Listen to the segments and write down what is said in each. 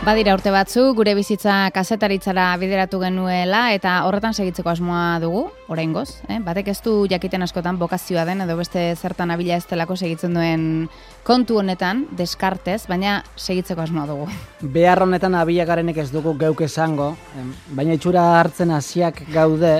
Badira urte batzu, gure bizitza kazetaritzara bideratu genuela eta horretan segitzeko asmoa dugu, oraingoz. Batek ez du jakiten askotan bokazioa den edo beste zertan abila ez delako segitzen duen kontu honetan, deskartez, baina segitzeko asmoa dugu. Behar honetan abila garenek ez dugu geuk esango, baina itxura hartzen hasiak gaude,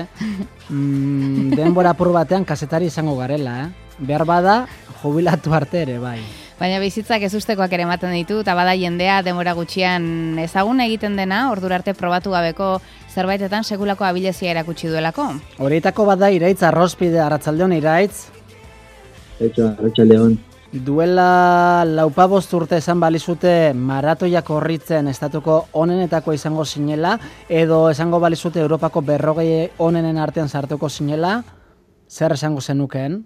denbora apur batean kazetari izango garela. Behar bada, jubilatu arte ere, bai. Baina bizitzak ez ustekoak ere ematen ditu, eta bada jendea denbora gutxian ezagun egiten dena, ordura arte probatu gabeko zerbaitetan sekulako abilezia erakutsi duelako. Horietako bada Iraitz Arrospide, arratsaldeon Iraitz. Arratsaldeon. Duela 45 urte esan balizute maratoia korritzen estatuko onenetako izango zinela, edo esango balizute Europako 40 onenen artean sartuko zinela, zer esango zenukeen?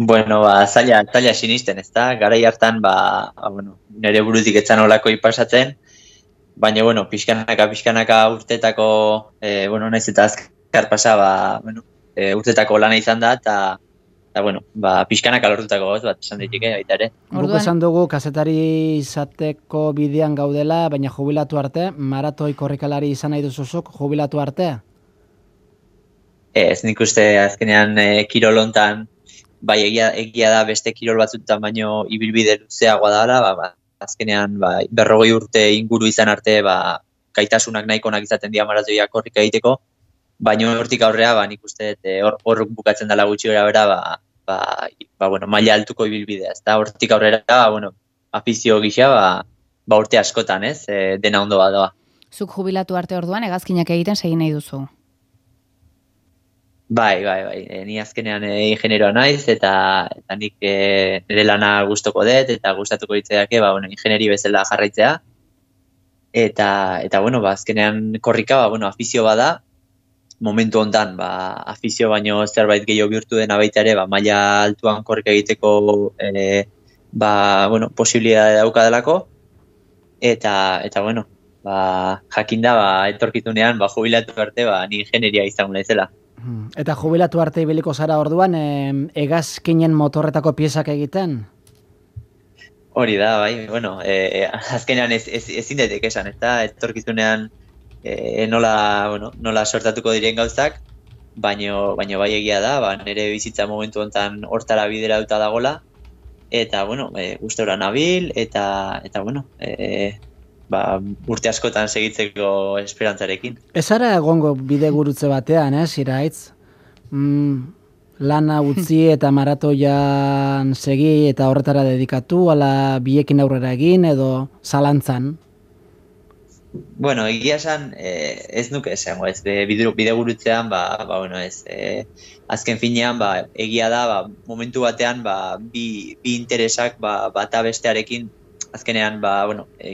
Bueno, zaila sinisten, ezta? Garai hartan, nire burutik etzan olako pasatzen, baina, pixkanaka urtetako, naiz eta azkar pasa, urtetako lana izan da, eta, pixkanaka lortutako goz bat, esan ditike, baita ere. Guk esan dugu, kazetari izateko bidean gaudela, baina jubilatu arte, maratoi korrikalari izan nahi duzuzuk, jubilatu arte? Ez, nik uste azkenean kirolontan, bai, egia da beste kirol batzutan baino ibilbide luzeagoa dela, azkenean 40 urte inguru izan arte, gaitasunak nahikonak izaten dira maratoia korrika egiteko, baino hortik aurrea, nik uste hor bukatzen dela gutxi bera, maila altuko ibilbidea, ezta hortik aurrera, afizio gisa, urte askotan, ez, dena ondo badoa. Zuk jubilatu arte orduan, hegazkinak egiten segin nahi duzu? Bai, ni azkenean ingenieroa naiz, eta nik nire lana gustoko dut, eta gustatuko ditzeake, ingenieri bezala jarraitzea. Eta azkenean korrika, afizio bada, momentu hontan, afizio baino zerbait gehiago bihurtu dena baita ere, maila altuan korrika egiteko, posibilitatea dauka delako, eta jakinda, etorkitunean, jubilatu arte, ni ingenieria izango naizela. Eta jubilatu arte ibiliko zara orduan, hegazkinen motorretako piezak egiten? Hori da, bai, azkenean ezin daiteke esan, eta etorkizunean nola sortatuko diren gauzak, baino bai egia da, nire bizitza momentu honetan hortara bideratuta dagola, eta, gustora nabil, eta urte askotan segitzeko esperantzarekin. Ez ara egongo bide gurutze batean, Iraitz? Lana utzi eta maratoian segi eta horretara dedikatu, ala biekin aurrera egin edo zalantzan? Egia esan, ez nuke esango, ez bide gurutzean, azken finean, egia da, momentu batean, bi interesak bata bestearekin, azkenean,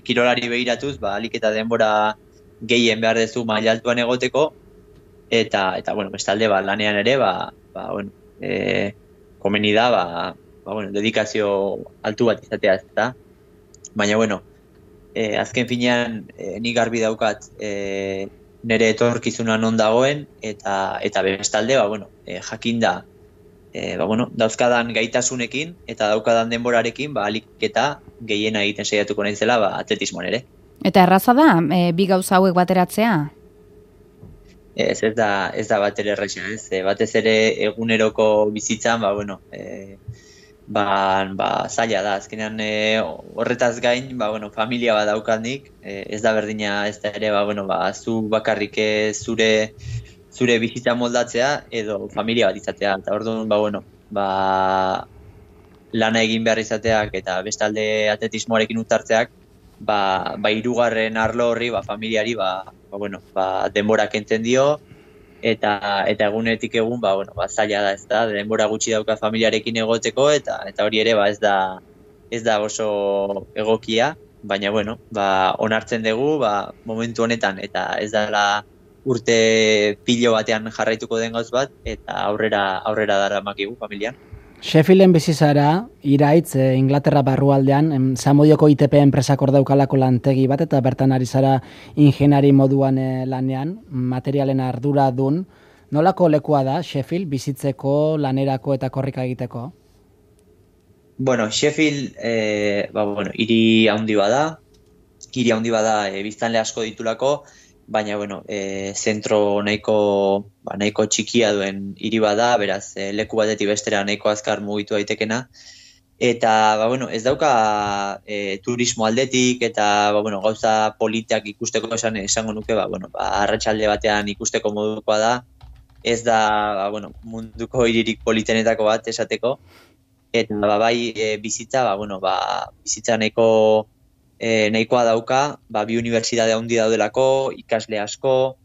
kirolari begiratuz, alik eta denbora gehien behar dezu maila altuan egoteko, eta bestalde, lanean ere, komeni da, dedikazio altu bat izatea ez da. Baina, azken finean, nik garbi daukat nire etorkizuna non dagoen, eta bestalde, jakinda, dauzkadan gaitasunekin eta daukadan denborarekin, alik eta gehiena egiten saiatuko naizela, atletismoan ere. Eta erraza da, bi gauza hauek bateratzea? Ez da bat ere erraza, ez. Batez ere eguneroko bizitzan, zaila da. Azkenean horretaz gain, familia bat daukanik, ez da berdina, ez da ere, zu bakarrik zure bizitza moldatzea edo familia bat izatea. Eta orduan, lana egin behar izateak eta bestalde atletismoarekin utartzeak, hirugarren arlo horri, familiari, denbora kentzen dio, eta egunetik egun, zaila da, ez da, denbora gutxi dauka familiarekin egoteko, eta hori ere, ez da oso egokia, baina, onartzen dugu, momentu honetan, eta ez dela urte pilo batean jarraituko den gauz bat, eta aurrera daramakigu familian. Sheffielden bizi zara, Iraitz, Inglaterra barrualdean, Zamudioko ITP enpresak hor daukalako lantegi bat, eta bertan ari zara ingeniari moduan lanean, materialen arduradun. Nolako lekua da Sheffield bizitzeko, lanerako eta korrika egiteko? Sheffield, hiri handi bada, hiri handi bada biztanle asko ditulako, baina bueno, zentro nahiko txikia duen hiri bada, beraz leku batetik bestera nahiko azkar mugitu daitekena. Eta bueno, ez dauka turismo aldetik eta bueno, gauza politeak ikusteko esango nuke, bueno, arratsalde batean ikusteko modukoa da. Ez da bueno, munduko hiririk politenetako bat esateko. Eta bai bizitza, bueno, bizitza nahikoa dauka, bi unibertsitate handi daudelako, ikasle asko,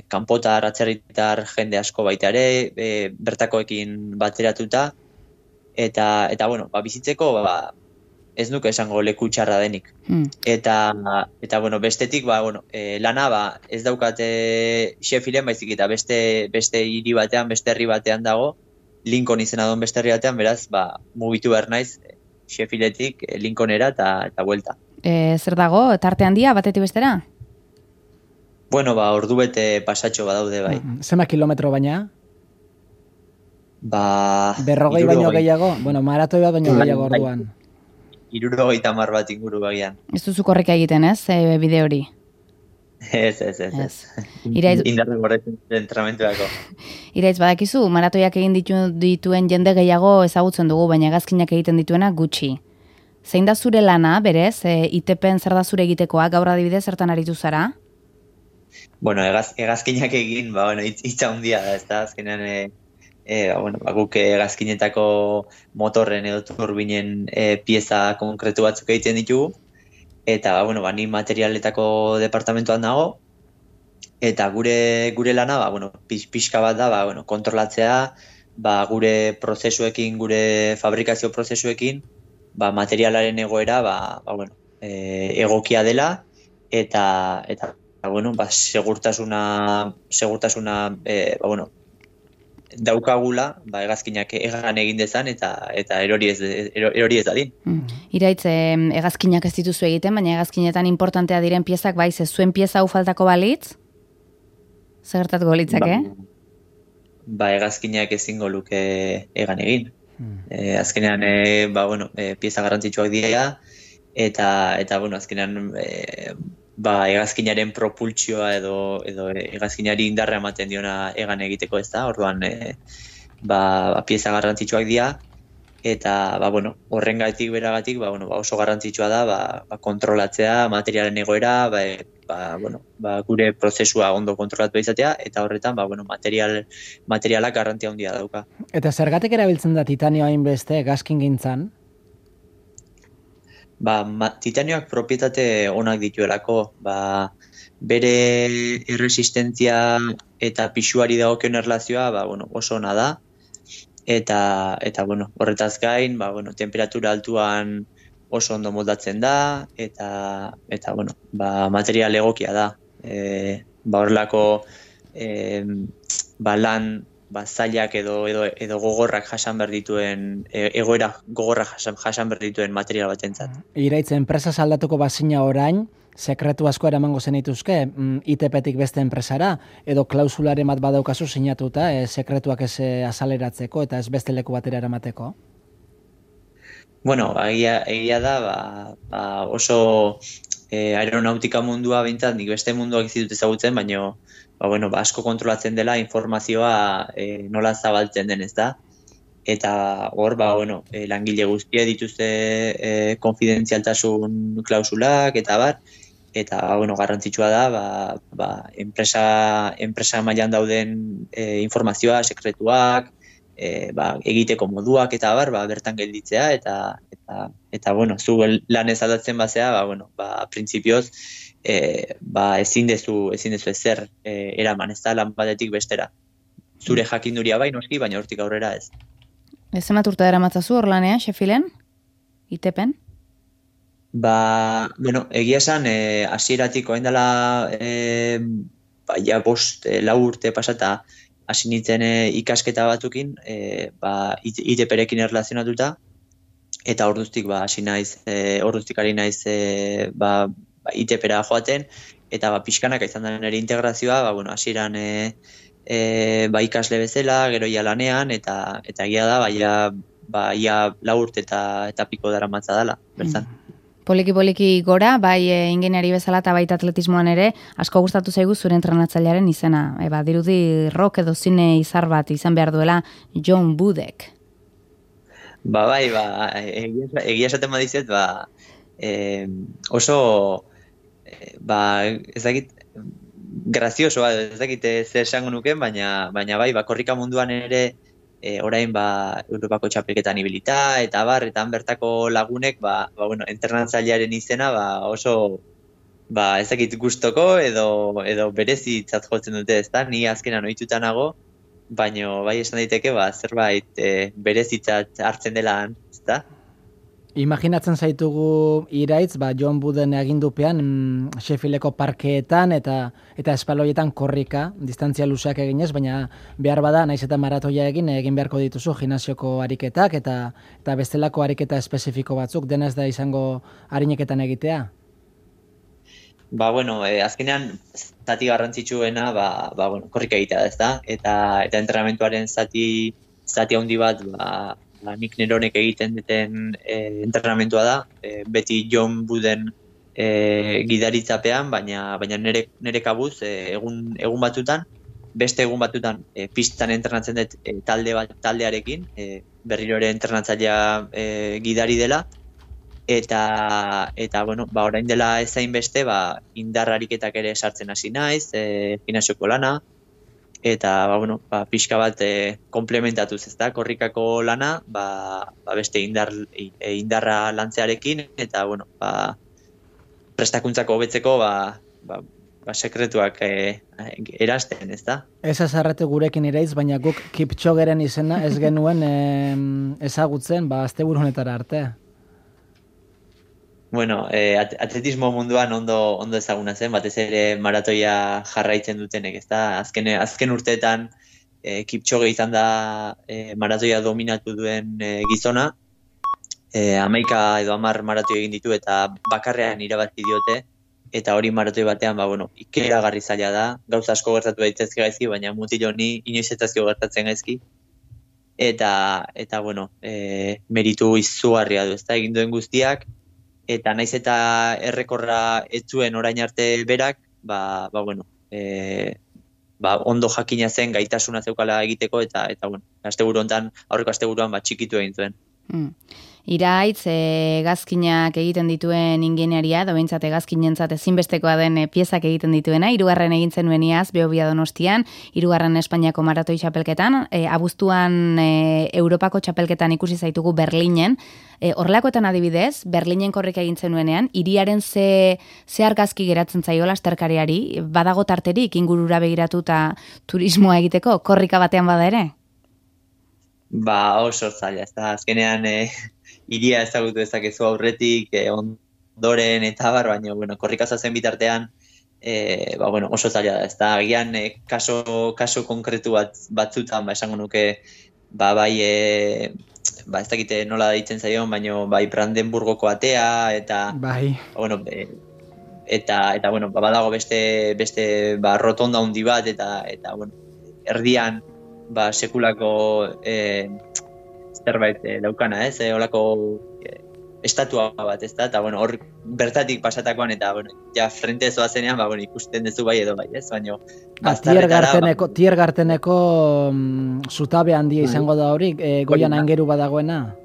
kanpotar, atzerritar jende asko baita ere, bertakoekin bateratuta. Eta bueno, bizitzeko ez nuke esango leku txarra denik. Eta bueno, bestetik bueno, lana ez daukate Sheffielden, baizik eta beste hiri batean, beste herri batean dago, Lincoln izena duen beste herri batean, beraz mugitu behar naiz Sheffieldetik Lincolnera eta buelta. Zer dago, tarte handia batetik bestera? Bueno, ordu bete pasatxo badaude bai. Zema kilometro baina? 40 baino gehiago? Bueno, maratoi bat baino gehiago orduan. 70 bat inguru bagian. Ez duzu korrika egiten, ez, bide hori? Ez. Indarra gorretzen entrenamentuako. Iraitz, badakizu, maratoiak egin dituen jende gehiago ezagutzen dugu, baina hegazkinak egiten dituena gutxi. Zein da zure lana, berez, ITPen zer da zure egitekoa, gaur adibidez zertan aritu zara? Bueno, hegazkinak egin, hitza handia da, ez da, azkenean guk hegazkinetako motorren edo turbinen pieza konkretu batzuk egiten ditugu, eta ni materialetako departamentuan nago, eta gure lana pixka bat da kontrolatzea gure prozesuekin, gure fabrikazio prozesuekin materialaren egoera egokia dela, eta segurtasuna daukagula, hegazkinak egan egin dezan eta erori ez dadin. Iraitz, hegazkinak ez dituzu egiten, baina hegazkinetan importantea diren piezak, ze zuen pieza hau faltako balitz? Zer gertatuko litzake? Hegazkinak ezingo luke egan egin. Azkenean, pieza garrantzitsuak dira, eta azkenean, hegazkinaren propultsioa edo hegazkinari indarra ematen diona egan egiteko, ez da, orduan pieza garrantzitsuak dira, eta horrengatik beragatik oso garrantzitsua da kontrolatzea materialen egoera, gure prozesua ondo kontrolatu izatea, eta horretan materialak garrantzia handia dauka. Eta zergatik erabiltzen da titanio hainbeste hegazkingintzan? Titanioak propietate onak dituelako, bere erresistentzia eta pisuari dagokion erlazioa oso ona da, eta horretaz gain, temperatura altuan oso ondo moldatzen da, eta material egokia da. Horrelako lan zailak edo gogorrak jasan behar dituen, egoera gogorrak jasan behar dituen material batentzat. Iraitz, enpresa aldatuko bazina orain, sekretu asko eramango zenituzke, ITP-tik beste enpresara, edo klausularen bat badaukazu sinatuta, sekretuak ez azaleratzeko eta ez beste leku batera eramateko? Bueno, egia da, oso aeronautika mundua bintzat, nik beste munduak ez ditut ezagutzen, baina asko kontrolatzen dela informazioa nola zabaltzen den, ez da? Eta hor, langile guztia dituzte konfidentzialtasun klausulak, eta garrantzitsua da, enpresa mailan dauden informazioa, sekretuak, egiteko moduak, eta bertan gelditzea, eta zu lan ez aldatzen bazea, printzipioz, ezin dezu ezer eraman, ez da lan batetik bestera. Zure jakinduria noski, baina hortik aurrera ez. Zenbat urte daramatzazu hor lanean, Sheffielden? ITPen? Egia esan, hasieratik orain dela 5-4 urte pasata hasi nintzen ikasketa batzukin, ITP-rekin erlazionatuta, eta orduztik hasi naiz, orduztik ari naiz ITP-ra joaten, eta pixkanaka izan da nire integrazioa, hasieran ikasle bezala, gero ia lanean, eta egia da, ia 4 urte eta piko daramatza dela, bertan. Poliki gora, bai ingeniari bezala eta baita atletismoan ere, asko gustatu zaigu zure entrenatzailearen izena. Dirudi rock edo zine izar bat izan behar duela John Budek. Bai, egia esaten badizet, oso, ez dakit, grazioso, ez dakit zer esango nuken, baina bai, korrika munduan ere, orain Europako txapelketan ibilita, eta han bertako lagunek, entrenatzailearen izena, oso, ez dakit gustoko edo berezitzat jotzen dute, ezta? Ni azkenan ohituta nago, baina bai esan daiteke, zerbait berezitzat hartzen dela, ezta? Imaginatzen zaitugu Iraitz, John Wooden agindupean Sheffieldeko parkeetan eta espaloietan korrika, distantzia luzeak eginez, baina behar bada, naiz eta maratoia egin beharko dituzu gimnasioko ariketak eta bestelako ariketa espezifiko batzuk, dena ez da izango arineketan egitea? Azkenean zati garrantzitsuena korrika egitea da, ezta? Eta entrenamentuaren zati handi bat nik neronek egiten duten entrenamentua da, beti John Wooden gidaritzapean, baina nire kabuz egun batutan, beste egun batutan pistan entrenatzen dut taldearekin, berriro ere entrenatzailea gidari dela, eta orain dela ezain beste, indar ariketak ere sartzen hasi naiz, gimnasioko lana, eta pixka bat komplementatuz, ezta, korrikako lana, beste indarra lantzearekin, eta prestakuntzako hobetzeko sekretuak erasten, ezta? Ez azarrete gurekin Iraitz, baina guk Kipchogeren izena ez genuen ezagutzen, asteburu honetara arte. Atletismo munduan ondo ezaguna zen, batez ere maratoia jarraitzen dutenek, ezta? Azken urteetan Kipchoge izan da maratoia dominatu duen gizona, 11 edo 10 maratoi egin ditu eta bakarrean irabazi diote, eta hori maratoi batean, ikeragarri zaila da, gauza asko gertatu daitezke gaizki, baina mutil honi inoiz ez zaizkio gertatzen gaizki, eta meritu izugarria du, ezta? Egin duen guztiak, eta naiz eta errekorra ez zuen orain arte berak, ondo jakina zen gaitasuna zeukala egiteko, eta asteburu hontan, aurreko asteburuan txikitu egin zuen. Iraitz, hegazkinak egiten dituen ingeniaria, behintzat hegazkinentzat ezinbestekoa den piezak egiten dituena, 3. egin zenuen iaz, Behobia Donostian, 3. Espainiako maratoi txapelketan, abuztuan Europako txapelketan ikusi zaitugu Berlinen, horrelakoetan adibidez, Berlinen korrika egin zenuenean, hiriaren ze argazki geratzen zaio lasterkariari, badago tarterik ingurura begiratu eta turismoa egiteko, korrika batean bada ere? Oso zaila, ez da, azkenean hiria ezagutu dezakezu aurretik, ondoren eta baina, korrika zazen bitartean, oso zaila da, ez da, agian kaso konkretu batzutan, esango nuke, ez dakite nola deitzen zaion, baina Brandenburgoko atea, eta, badago beste rotonda handi bat, eta erdian, sekulako zerbait daukana, ez? Olako estatua bat, ez da? Eta, hor bertatik pasatakoan, eta, frente zoazenean, ikusten dezu bai edo bai, ez? Baina, Tiergarteneko zutabe handia izango da hori, goian aingeru badagoena?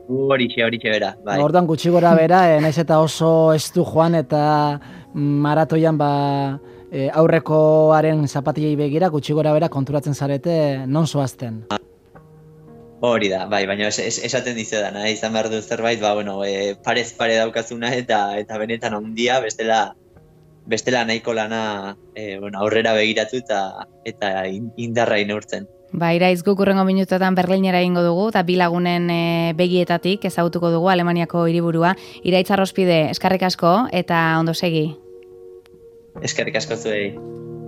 Horixe bera, bai. Orduan gutxi gora bera, naiz eta oso estu joan, eta maratoian, aurrekoaren zapatilei begira, gutxi gora bera konturatzen zarete non zoazten. Hori da, baina esaten dizedana, izan behar du zerbait, parez pare daukazuna eta benetan handia, bestela nahiko lana aurrera begiratu eta indarra neurtzen. Iraitz, guk urrengo minutotan Berlinera egingo dugu, eta bi lagunen begietatik ezagutuko dugu Alemaniako hiriburua. Iraitz Arrospide, eskerrik asko eta ondo segi. Eskerrik asko zuei.